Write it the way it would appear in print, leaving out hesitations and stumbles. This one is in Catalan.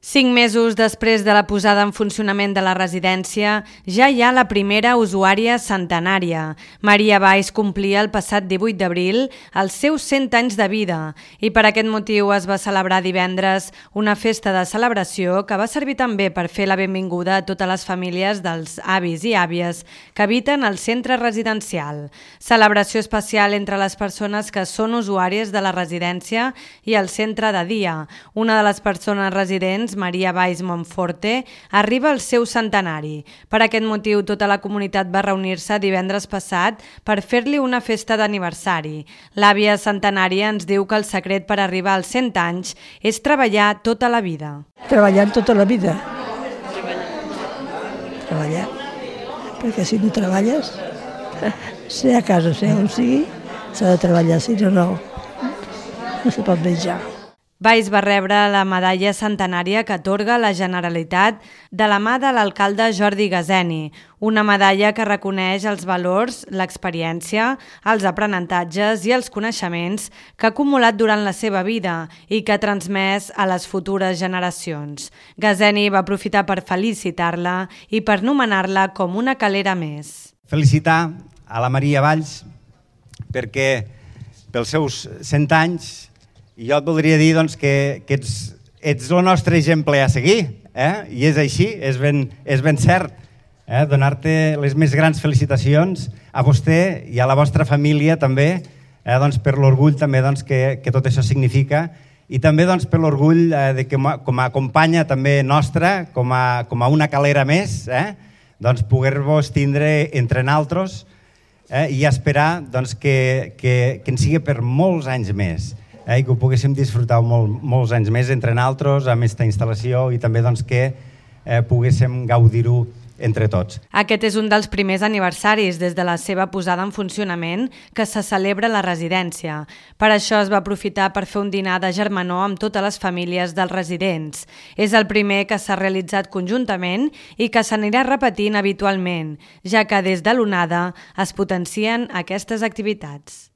5 mesos després de la posada en funcionament de la residència, ja hi ha la primera usuària centenària. Maria Valls complia el passat 18 d'abril els seus 100 anys de vida i per aquest motiu es va celebrar divendres una festa de celebració que va servir també per fer la benvinguda a totes les famílies dels avis i àvies que habiten al centre residencial. Celebració especial entre les persones que són usuàries de la residència i el centre de dia. Una de les persones residents, Maria Valls Monforte, arriba al seu centenari. Per aquest motiu, tota la comunitat va reunir-se divendres passat per fer-li una festa d'aniversari. L'àvia centenària ens diu que el secret per arribar als 100 anys és treballar tota la vida. Treballar tota la vida. Treballar. Perquè si no treballes, sigui a casa, sigui on sigui, s'ha de treballar, si no se pot menjar. Valls va rebre la medalla centenària que atorga la Generalitat de la mà de l'alcalde Jordi Gazeni, una medalla que reconeix els valors, l'experiència, els aprenentatges i els coneixements que ha acumulat durant la seva vida i que ha transmès a les futures generacions. Gazeni va aprofitar per felicitar-la i per nomenar-la com una calera més. Felicitar a la Maria Valls perquè pels seus 100 anys i jo et voldria dir que ets el nostre exemple a seguir, i és així, és ben cert. Donar-te les més grans felicitacions a vostè i a la vostra família també, per l'orgull també que tot això significa i també per l'orgull que com a companya també nostra, com a una calera més, poder-vos tindre entre naltros i esperar que en sigui per molts anys més. I que ho poguéssim disfrutar molts anys més entre naltros amb aquesta instal·lació i també que poguéssim gaudir-ho entre tots. Aquest és un dels primers aniversaris des de la seva posada en funcionament que se celebra a la residència. Per això es va aprofitar per fer un dinar de germanor amb totes les famílies dels residents. És el primer que s'ha realitzat conjuntament i que s'anirà repetint habitualment, ja que des de l'onada es potencien aquestes activitats.